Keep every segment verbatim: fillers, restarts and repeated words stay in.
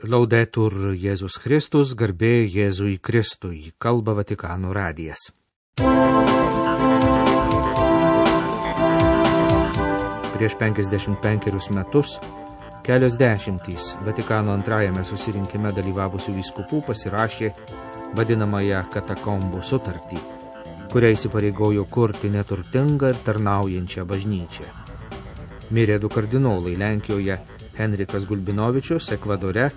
Laudetur Jėzus Kristus, garbė Jėzui Kristui, kalba Vatikano radijas. Prieš penkiasdešimt penkerius metus kelios dešimtys Vatikano antrajame susirinkime dalyvavusių vyskupų pasirašė vadinamąją katakombų sutartį, kuria įsipareigojo kurti neturtingą ir tarnaujančią bažnyčią. Mirė du kardinolai Lenkijoje Henrikas Gulbinovičius, Ekvadore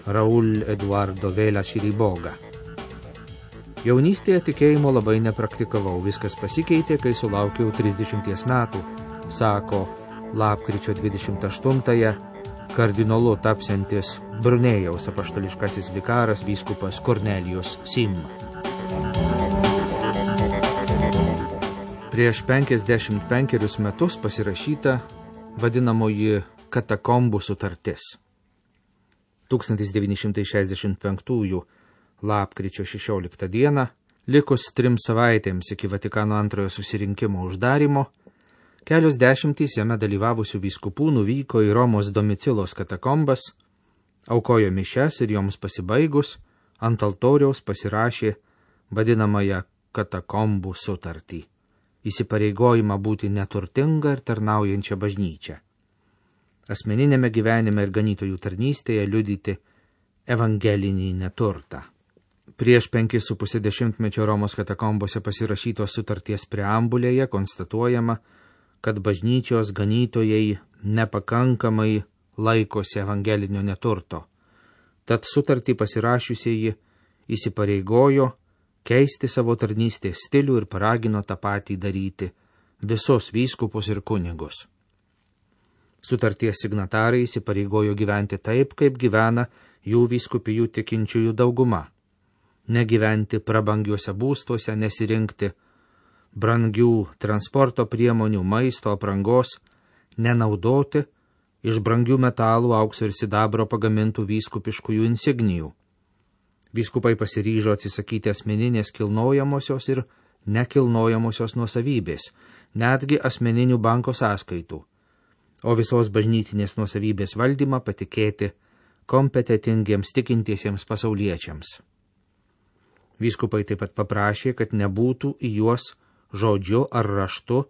Raul Eduardo Vela Širiboga. Jaunystėje tikėjimo labai nepraktikavau, viskas pasikeitė, kai sulaukiau trisdešimties metų, sako lapkričio dvidešimt aštuntąją kardinolu tapsiantis Brunėjaus apaštališkasis vikaras vyskupas Kornelijus Sim. Prieš penkiasdešimt penkerius metus pasirašyta vadinamoji katakombų sutartis. tūkstantis devyni šimtai šešiasdešimt penktųjų lapkričio šešioliktą dieną, likus trim savaitėms iki Vatikano antrojo susirinkimo uždarimo, kelios dešimtys jame dalyvavusių vyskupų nuvyko į Romos domicilos katakombas, aukojo mišias ir joms pasibaigus ant altoriaus pasirašė vadinamąją katakombų sutartį, įsipareigojimą būti neturtinga ir tarnaujančia bažnyčia. Asmeninėme gyvenime ir ganytojų tarnystėje liudyti evangelinį neturtą. Prieš penkis su pusė dešimtmečio Romos katakombose pasirašytos sutarties preambulėje konstatuojama, kad bažnyčios ganytojai nepakankamai laikosi evangelinio neturto. Tad sutartį pasirašiusieji įsipareigojo keisti savo tarnystės stilių ir paragino tą patį daryti visus vyskupus ir kunigus. Sutarties signatarai įsipareigojo gyventi taip, kaip gyvena jų vyskupijų tikinčiųjų dauguma. Negyventi prabangiuose būstuose, nesirinkti brangių transporto priemonių, maisto, aprangos, nenaudoti iš brangių metalų, aukso ir sidabro pagamintų vyskupiškųjų insignijų. Vyskupai pasiryžo atsisakyti asmeninės kilnojamosios ir nekilnojamosios nuosavybės, netgi asmeninių banko sąskaitų, o visos bažnytinės nuosavybės valdymą patikėti kompetentingiems tikintiesiems pasauliečiams. Vyskupai taip pat paprašė, kad nebūtų į juos žodžiu ar raštu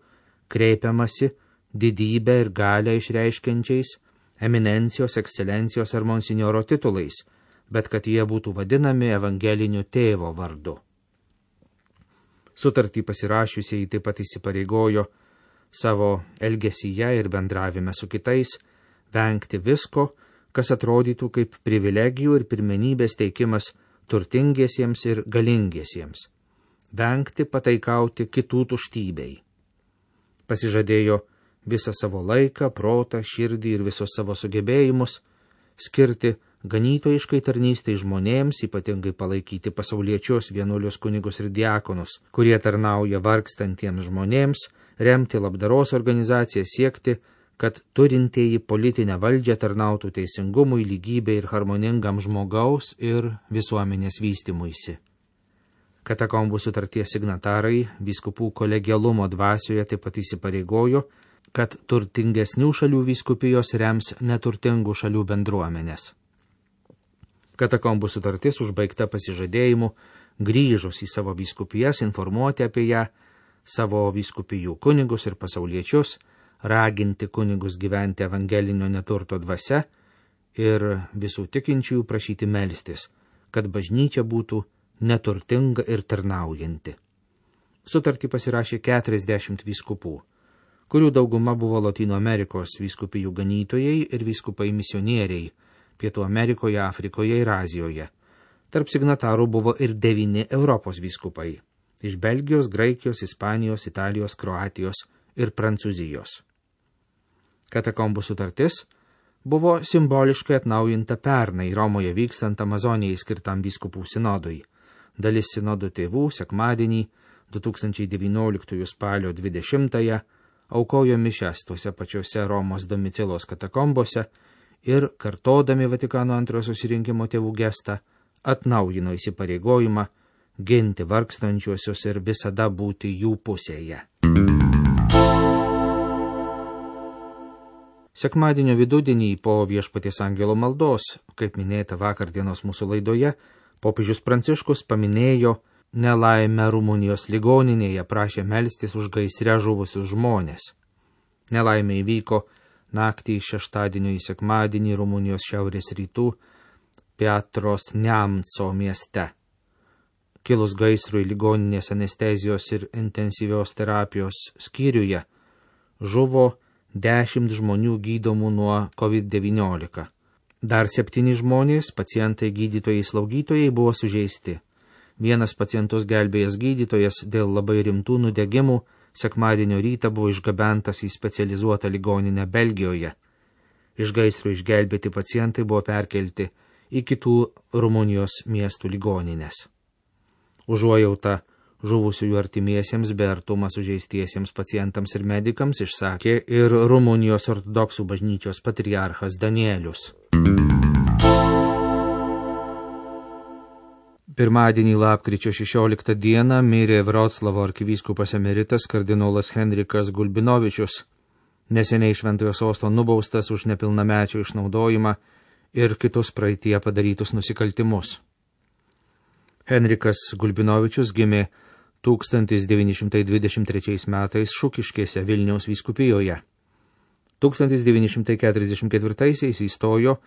kreipiamasi didybę ir galią išreiškiančiais eminencijos, ekscelencijos ar monsinjoro titulais, bet kad jie būtų vadinami evangeliniu tėvo vardu. Sutartį pasirašiusieji taip pat įsipareigojo savo elgesyje ir bendravime su kitais vengti visko, kas atrodytų kaip privilegijų ir pirmenybės teikimas turtingiesiems ir galingiesiems. Vengti pataikauti kitų tuštybei. Pasižadėjo visą savo laiką, protą, širdį ir visus savo sugebėjimus skirti ganytojiškai tarnystei žmonėms, ypatingai palaikyti pasauliečius, vienuolius kunigus ir diakonus, kurie tarnauja vargstantiems žmonėms, remti labdaros organizaciją, siekti, kad turintieji politinę valdžią tarnautų teisingumui, lygybei ir harmoningam žmogaus ir visuomenės vystymuisi. Katakombų sutarties signatarai vyskupų kolegialumo dvasioje taip pat įsipareigojo, kad turtingesnių šalių vyskupijos rems neturtingų šalių bendruomenės. Katakombų sutartis užbaigta pasižadėjimu grįžus į savo vyskupijas informuoti apie ją savo vyskupijų kunigus ir pasauliečius, raginti kunigus gyventi evangelinio neturto dvasia ir visų tikinčiųjų prašyti melstis, kad bažnyčia būtų neturtinga ir tarnaujanti. Sutartį pasirašė keturiasdešimt vyskupų, kurių dauguma buvo Lotynų Amerikos vyskupijų ganytojai ir vyskupai misionieriai Pietų Amerikoje, Afrikoje ir Azijoje. Tarp signatarų buvo ir devyni Europos vyskupai iš Belgijos, Graikijos, Ispanijos, Italijos, Kroatijos ir Prancūzijos. Katakombų sutartis buvo simboliškai atnaujinta pernai Romoje vykstant Amazonijai skirtam vyskupų sinodui. Dalis sinodo tėvų sekmadienį du tūkstančiai devynioliktųjų spalio dvidešimtąją aukojo mišias tuose pačiuose Romos domicilos katakombose ir, kartodami Vatikano antrojo susirinkimo tėvų gestą, atnaujino įsipareigojimą ginti vargstančiuosius ir visada būti jų pusėje. Sekmadienio vidudienį po Viešpaties angelo maldos, kaip minėta vakardienos mūsų laidoje, popiežius Pranciškus paminėjo nelaimę Rumunijos ligoninėje, prašė melstis už gaisre žuvusius žmonės. Nelaimė įvyko naktį iš šeštadienio į sekmadienį Rumunijos šiaurės rytų Piatros Neamco mieste. Kilus gaisrui ligoninės anestezijos ir intensyvios terapijos skyriuje žuvo dešimt žmonių gydomų nuo covid devyniolika. Dar septyni žmonės, pacientai, gydytojai, slaugytojai buvo sužeisti. Vienas pacientus gelbėjęs gydytojas dėl labai rimtų nudegimų sekmadienio rytą buvo išgabentas į specializuotą ligoninę Belgijoje. Iš gaisro išgelbėti pacientai buvo perkelti į kitų Rumunijos miestų ligoninės. Užuojauta žuvusiųjų artimiesiems bei artumą sužeistiesiems pacientams ir medikams išsakė ir Rumunijos ortodoksų bažnyčios patriarchas Danielius. Pirmadienį lapkričio šešioliktą dieną mirė Vroclavo arkivyskupas emeritas kardinolas Henrikas Gulbinovičius, neseniai šventojo sosto nubaustas už nepilnamečio išnaudojimą ir kitus praeityje padarytus nusikaltimus. Henrikas Gulbinovičius gimė tūkstantis devyni šimtai dvidešimt trečiais metais Šukiškėse Vilniaus vyskupijoje. tūkstantis devyni šimtai keturiasdešimt ketvirtaisiais įstojo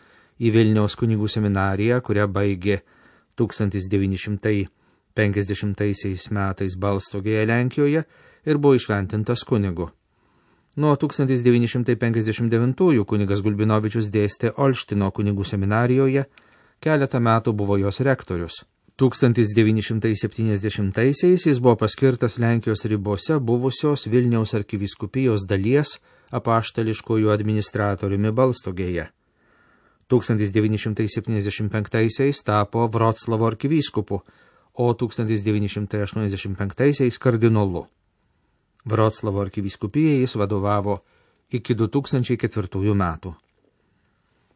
į Vilniaus kunigų seminariją, kurią baigė tūkstantis devyni šimtai penkiasdešimtaisiais metais Balstogėje Lenkijoje ir buvo išventintas kunigu. Nuo tūkstantis devyni šimtai penkiasdešimt devintųjų kunigas Gulbinovičius dėstė Olštino kunigų seminarijoje, keletą metų buvo jos rektorius. tūkstantis devyni šimtai septyniasdešimtaisiais jis buvo paskirtas Lenkijos ribose buvusios Vilniaus arkivyskupijos dalies apaštališkojų administratoriumi Balstogėje. tūkstantis devyni šimtai septyniasdešimt penktaisiais tapo Vroclavo arkivyskupu, o tūkstantis devyni šimtai aštuoniasdešimt penktaisiais kardinolu. Vroclavo arkivyskupijai jis vadovavo iki du tūkstančiai ketvirtųjų metų.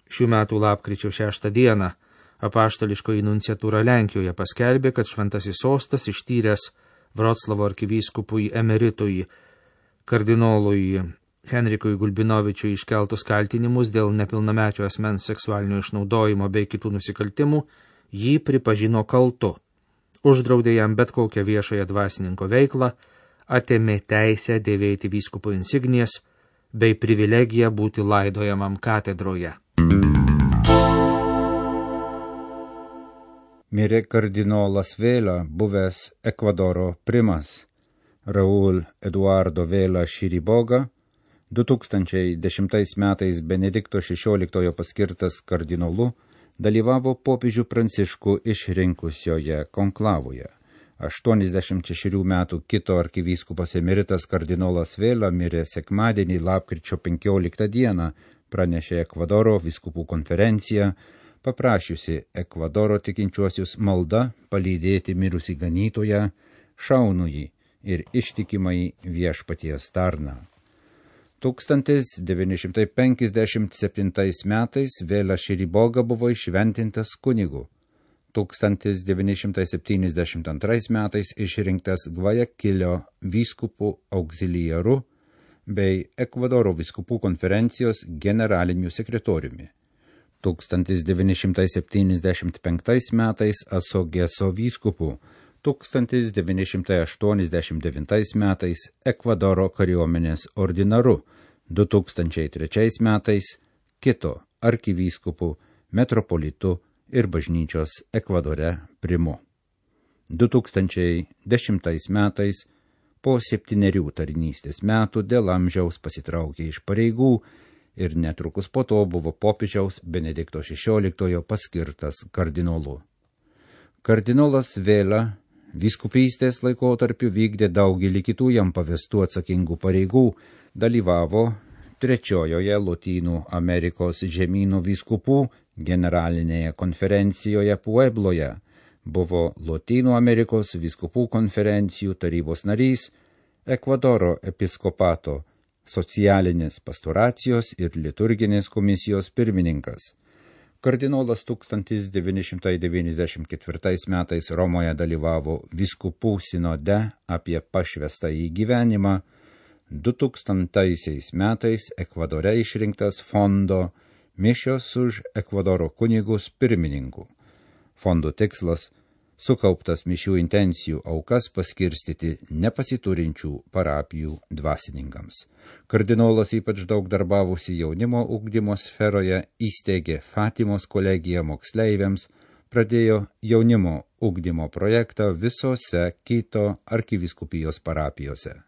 Šių metų lapkričio šeštą dieną apaštališkoji nunciatūra Lenkijoje paskelbė, kad šventasis sostas ištyręs Vroclavo arkivyskupui emeritui kardinolui Henrikui Gulbinovičiui iškeltus kaltinimus dėl nepilnamečio asmens seksualinio išnaudojimo bei kitų nusikaltimų, jį pripažino kaltu, uždraudė jam bet kokią viešąją dvasininko veiklą, atėmė teisę dėvėti vyskupo insignijas bei privilegiją būti laidojamam katedroje. Mirė kardinolas Vėla, buvęs Ekvadoro primas. Raul Eduardo Vėla Širiboga, du tūkstančiai dešimtais metais Benedikto šešioliktojo paskirtas kardinolu, dalyvavo popiežių Pranciškų išrinkusioje konklavoje. aštuoniasdešimt šešerių metų kito arkivyskupas emeritas kardinolas Vėla mirė sekmadienį lapkričio penkioliktą dieną, pranešė Ekvadoro vyskupų konferencija, paprašiusi Ekvadoro tikinčiuosius malda palydėti mirusį ganytoją, šaunųjį ir ištikimai viešpaties tarną. tūkstantis devyni šimtai penkiasdešimt septintais metais Vėla Širiboga buvo išventintas kunigu. tūkstantis devyni šimtai septyniasdešimt antrais metais išrinktas Gvajakilio vyskupų auxiliaru bei Ekvadoro vyskupų konferencijos generaliniu sekretoriumi. tūkstantis devyni šimtai septyniasdešimt penktais metais Asogeso vyskupu, tūkstantis devyni šimtai aštuoniasdešimt devintais metais Ekvadoro kariuomenės ordinaru, du tūkstančiai trečiais metais kito arkivyskupu, metropolitu ir bažnyčios Ekvadore primu. du tūkstančiai dešimtais metais po septynerių tarnystės metų dėl amžiaus pasitraukė iš pareigų ir netrukus po to buvo popiežiaus Benedikto šešioliktojo paskirtas kardinolu. Kardinolas Vėla vyskupystės laikotarpiu vykdė daugelį kitų jam pavestų atsakingų pareigų, dalyvavo trečiojoje Lotynų Amerikos žemynų vyskupų generalinėje konferencijoje Puebloje, buvo Lotynų Amerikos vyskupų konferencijų tarybos narys, Ekvadoro episkopato socialinės pastoracijos ir liturginės komisijos pirmininkas. Kardinolas tūkstantis devyni šimtai devyniasdešimt ketvirtais metais Romoje dalyvavo vyskupų sinode apie pašvestąjį gyvenimą, dutūkstantaisiais metais Ekvadore išrinktas fondo Mišios už Ekvadoro kunigus pirmininku. Fondo tikslas – sukauptas mišių intencijų aukas paskirstyti nepasiturinčių parapijų dvasininkams. Kardinolas ypač daug darbavosi jaunimo ugdymo sferoje, įsteigė Fatimos kolegiją moksleiviams, pradėjo jaunimo ugdymo projektą visose Kito arkivyskupijos parapijose.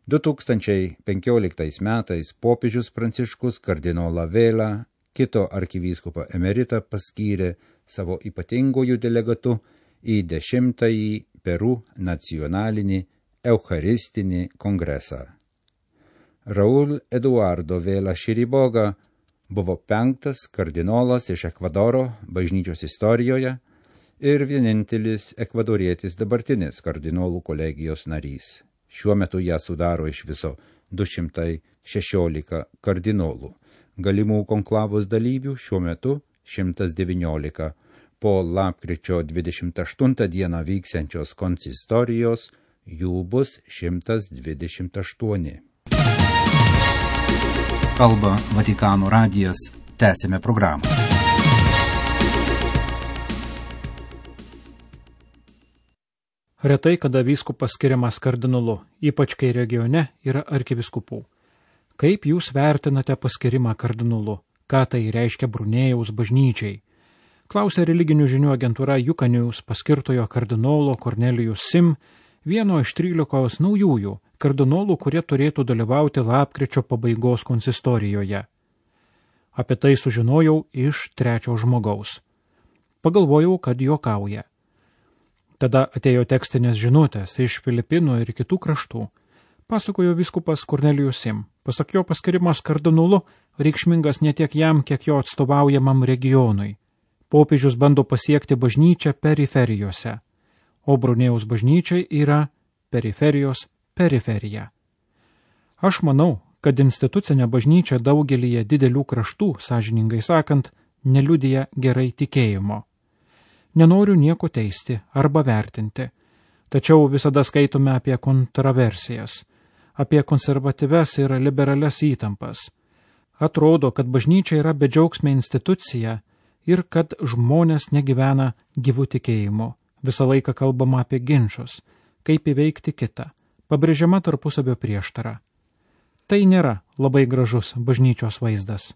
du tūkstančiai penkioliktais metais popiežius Pranciškus kardinolą Vėlą, Kito arkivyskupą emeritą, paskyrė savo ypatingųjų delegatu į dešimtąjį Peru nacionalinį Eucharistinį kongresą. Raúl Eduardo Vela Chiriboga buvo penktas kardinolas iš Ekvadoro bažnyčios istorijoje ir vienintelis ekvadorietis dabartinis kardinolų kolegijos narys. Šiuo metu ją sudaro iš viso du šimtai šešiolika kardinolų. Galimų konklavos dalyvių šiuo metu šimtas devyniolika. Po lapkričio dvidešimt aštuntą dieną vyksiančios konsistorijos jų bus šimtas dvidešimt aštuoni. Kalba Vatikano radijas. Tęsime programą. Retai kada vyskupas skiriamas kardinolu, ypač kai regione yra arkivyskupų. Kaip jūs vertinate paskirimą kardinolu? Ką tai reiškia Brunėjaus bažnyčiai? Klausė religinių žinių agentūra Jukanius paskirtojo kardinolo Kornelijus Sim, vieno iš trylikos naujųjų kardinolų, kurie turėtų dalyvauti lapkričio pabaigos konsistorijoje. Apie tai sužinojau iš trečio žmogaus. Pagalvojau, kad juokauja. Tada atėjo tekstinės žinutės iš Filipinų ir kitų kraštų. Pasakojo vyskupas Kornelijus Sim. Pasak jo, paskirimas kardinolu reikšmingas ne tiek jam, kiek jo atstovaujamam regionui. Popiežius bando pasiekti bažnyčią periferijose, o Brunėjaus bažnyčiai yra periferijos periferija. Aš manau, kad institucinė bažnyčia daugelyje didelių kraštų, sąžiningai sakant, neliudija gerai tikėjimo. Nenoriu nieko teisti arba vertinti, tačiau visada skaitome apie kontroversijas, apie konservatyves ir liberales įtampas. Atrodo, kad bažnyčia yra bedžiaugsmė institucija ir kad žmonės negyvena gyvų tikėjimu. Visą laiką kalbama apie ginčus, kaip įveikti kitą, pabrėžiama tarpusavio prieštara. Tai nėra labai gražus bažnyčios vaizdas.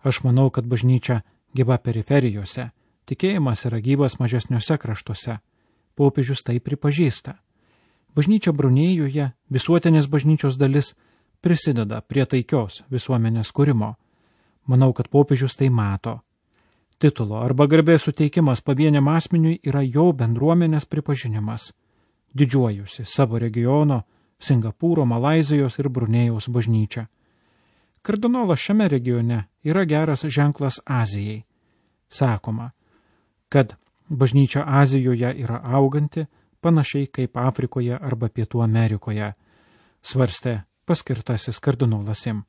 Aš manau, kad bažnyčia gyva periferijose, tikėjimas yra gyvas mažesniuose kraštuose. Popiežius tai pripažįsta. Bažnyčia Brunėjuje, visuotinės bažnyčios dalis, prisideda prie taikios visuomenės kūrimo. Manau, kad popiežius tai mato. Titulo arba garbės suteikimas pavieniam asmeniui yra jo bendruomenės pripažinimas. Didžiuojusi savo regiono, Singapūro, Malaizijos ir Brunėjaus bažnyčia. Kardinolas šiame regione yra geras ženklas Azijai. Sakoma, kad bažnyčia Azijoje yra auganti, panašiai kaip Afrikoje arba Pietų Amerikoje, svarstė paskirtasis kardinolas Sim.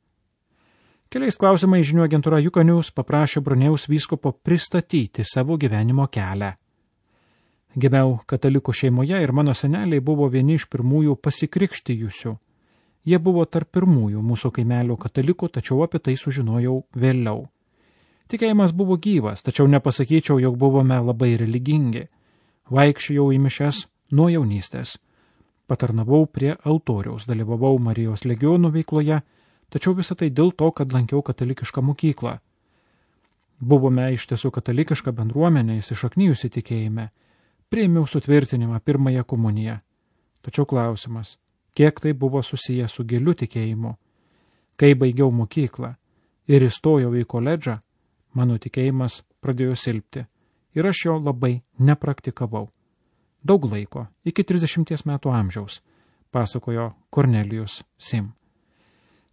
Keliais klausimais žinių agentūra Jukanius paprašė Brunėjaus vyskupo pristatyti savo gyvenimo kelią. Gimiau katalikų šeimoje ir mano seneliai buvo vieni iš pirmųjų pasikrikštijusių. Jie buvo tarp pirmųjų mūsų kaimelio katalikų, tačiau apie tai sužinojau vėliau. Tikėjimas buvo gyvas, tačiau nepasakyčiau, jog buvome labai religingi. Vaikščiojau į mišias nuo jaunystės. Patarnavau prie altoriaus, dalyvavau Marijos legionų veikloje, tačiau visą tai dėl to, kad lankiau katalikišką mokyklą. Buvome iš tiesų katalikiška bendruomenė, įsišaknijusi tikėjime. Priėmiau sutvirtinimą pirmąją komuniją. Tačiau klausimas, kiek tai buvo susiję su giliu tikėjimu. Kai baigiau mokyklą ir įstojau į koledžą, mano tikėjimas pradėjo silpti ir aš jo labai nepraktikavau. Daug laiko, iki trisdešimties metų amžiaus, pasakojo Kornelijus Sim.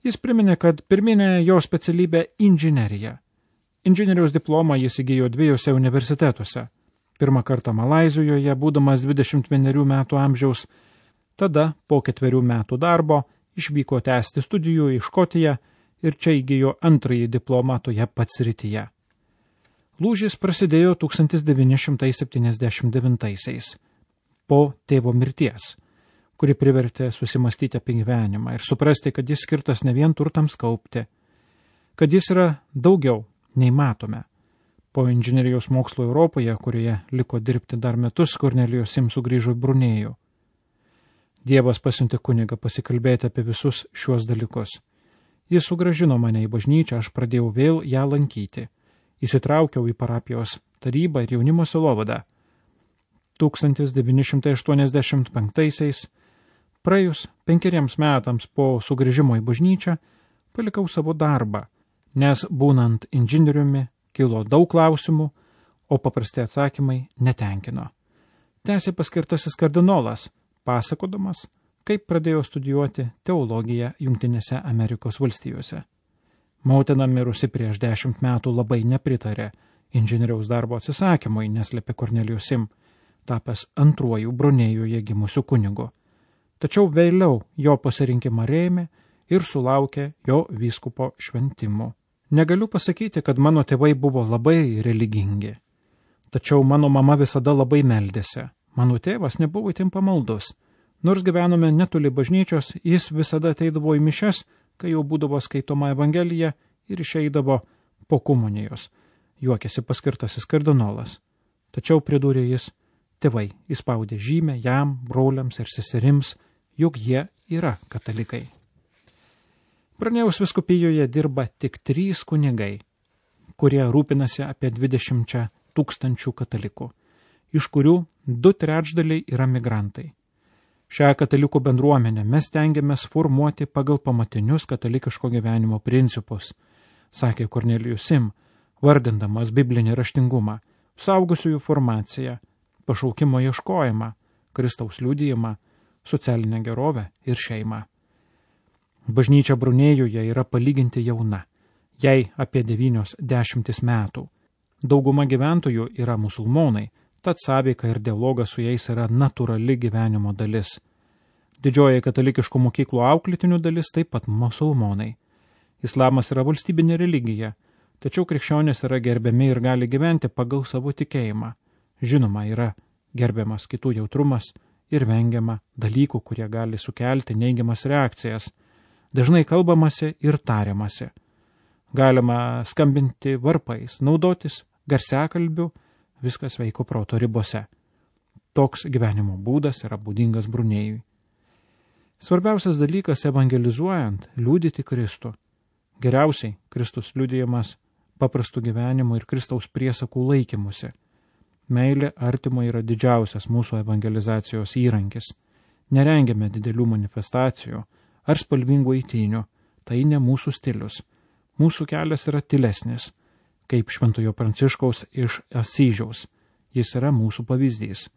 Jis priminė, kad pirminė jo specialybė inžinerija. Inžinieriaus diplomą jis įgijo dviejose universitetuose. Pirmą kartą Malaizijoje, būdamas dvidešimt vienerių metų amžiaus, tada po ketverių metų darbo išvyko tęsti studijų į Škotiją ir čia įgijo antrąjį diplomą toje pat srityje. Lūžis prasidėjo tūkstantis devyni šimtai septyniasdešimt devintaisiais, po tėvo mirties. kuri privertė susimastyti apie gyvenimą ir suprasti, kad jis skirtas ne vien turtams kaupti, kad jis yra daugiau nei matome. Po inžinerijos mokslo Europoje, kurioje liko dirbti dar metus, Kornelijus Sim sugrįžo į Brunėjų. Dievas pasiuntė kunigą pasikalbėti apie visus šiuos dalykus. Jis sugrąžino mane į bažnyčią, aš pradėjau vėl ją lankyti. Įsitraukiau į parapijos tarybą ir jaunimo sielovadą. tūkstantis devyni šimtai aštuoniasdešimt penktaisiais, praėjus penkeriems metams po sugrįžimo į bažnyčią, palikau savo darbą, nes būnant inžinieriumi kilo daug klausimų, o paprasti atsakymai netenkino. Tęsė paskirtasis kardinolas, pasakodamas, kaip pradėjo studijuoti teologiją Jungtinėse Amerikos valstijose. Motina mirusi prieš dešimt metų labai nepritarė inžinieriaus darbo atsisakymui, neslėpė Kornelijus Sim, tapęs antruoju Brunėjuje gimusiu kunigu. Tačiau vėliau jo pasirinkimą rėmė ir sulaukė jo vyskupo šventimų. Negaliu pasakyti, kad mano tėvai buvo labai religingi. Tačiau mano mama visada labai meldėsi. Mano tėvas nebuvo itin pamaldus. Nors gyvenome netoli bažnyčios, jis visada ateidavo į mišias, kai jau būdavo skaitoma Evangelija ir išeidavo po komunijos. Juokėsi paskirtasis kardinolas. Tačiau pridūrė jis, tėvai įspaudė žymę jam, broliams ir seserims, juk jie yra katalikai. Brunėjaus vyskupijoje dirba tik trys kunigai, kurie rūpinasi apie dvidešimt tūkstančių katalikų, iš kurių du trečdaliai yra migrantai. Šią katalikų bendruomenę mes tengiamės formuoti pagal pamatinius katalikiško gyvenimo principus, sakė Kornelijus Sim, vardindamas biblinį raštingumą, suaugusiųjų formaciją, pašaukimo ieškojimą, Kristaus liudijimą, socialinę gerovę ir šeimą. Bažnyčia Brunėjuje yra palyginti jauna, jai apie devynios dešimtis metų. Dauguma gyventojų yra musulmonai, tad sąveika ir dialogas su jais yra natūrali gyvenimo dalis. Didžioji katalikiškų mokyklų auklėtinių dalis taip pat musulmonai. Islamas yra valstybinė religija, tačiau krikščionys yra gerbiami ir gali gyventi pagal savo tikėjimą. Žinoma, yra gerbiamas kitų jautrumas ir vengiama dalykų, kurie gali sukelti neigiamas reakcijas. Dažnai kalbamasi ir tariamasi. Galima skambinti varpais, naudotis garsiakalbiu, viskas veiko proto ribose. Toks gyvenimo būdas yra būdingas Brunėjui. Svarbiausias dalykas evangelizuojant – liudyti Kristų. Geriausiai Kristus liudijamas paprastų gyvenimų ir Kristaus priesakų laikymusi. Meilė artimo yra didžiausias mūsų evangelizacijos įrankis. Nerengiame didelių manifestacijų ar spalvingų eitynių, tai ne mūsų stilius. Mūsų kelias yra tylesnis, kaip Šventojo Pranciškaus iš Asyžiaus. Jis yra mūsų pavyzdys,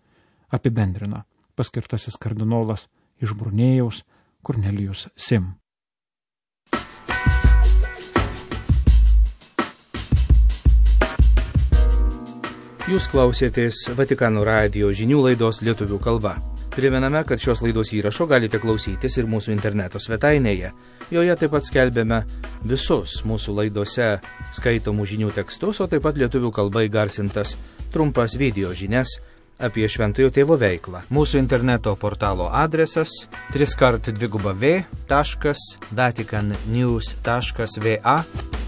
apibendrina paskirtasis kardinolas iš Brunėjaus Kornelijus Sim. Jūs klausėtės Vatikano radijo žinių laidos lietuvių kalba. Primename, kad šios laidos įrašo galite klausytis ir mūsų interneto svetainėje. Joje taip pat skelbėme visus mūsų laidose skaitomų žinių tekstus, o taip pat lietuvių kalba įgarsintas trumpas video žinias apie Šventojo Tėvo veiklą. Mūsų interneto portalo adresas tris kart dviguba v taškas vatikan news taškas va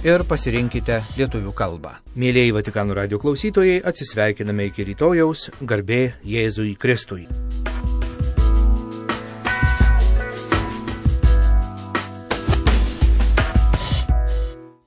ir pasirinkite lietuvių kalbą. Mėlieji Vatikano radijo klausytojai, atsisveikiname iki rytojaus, garbė Jėzui Kristui.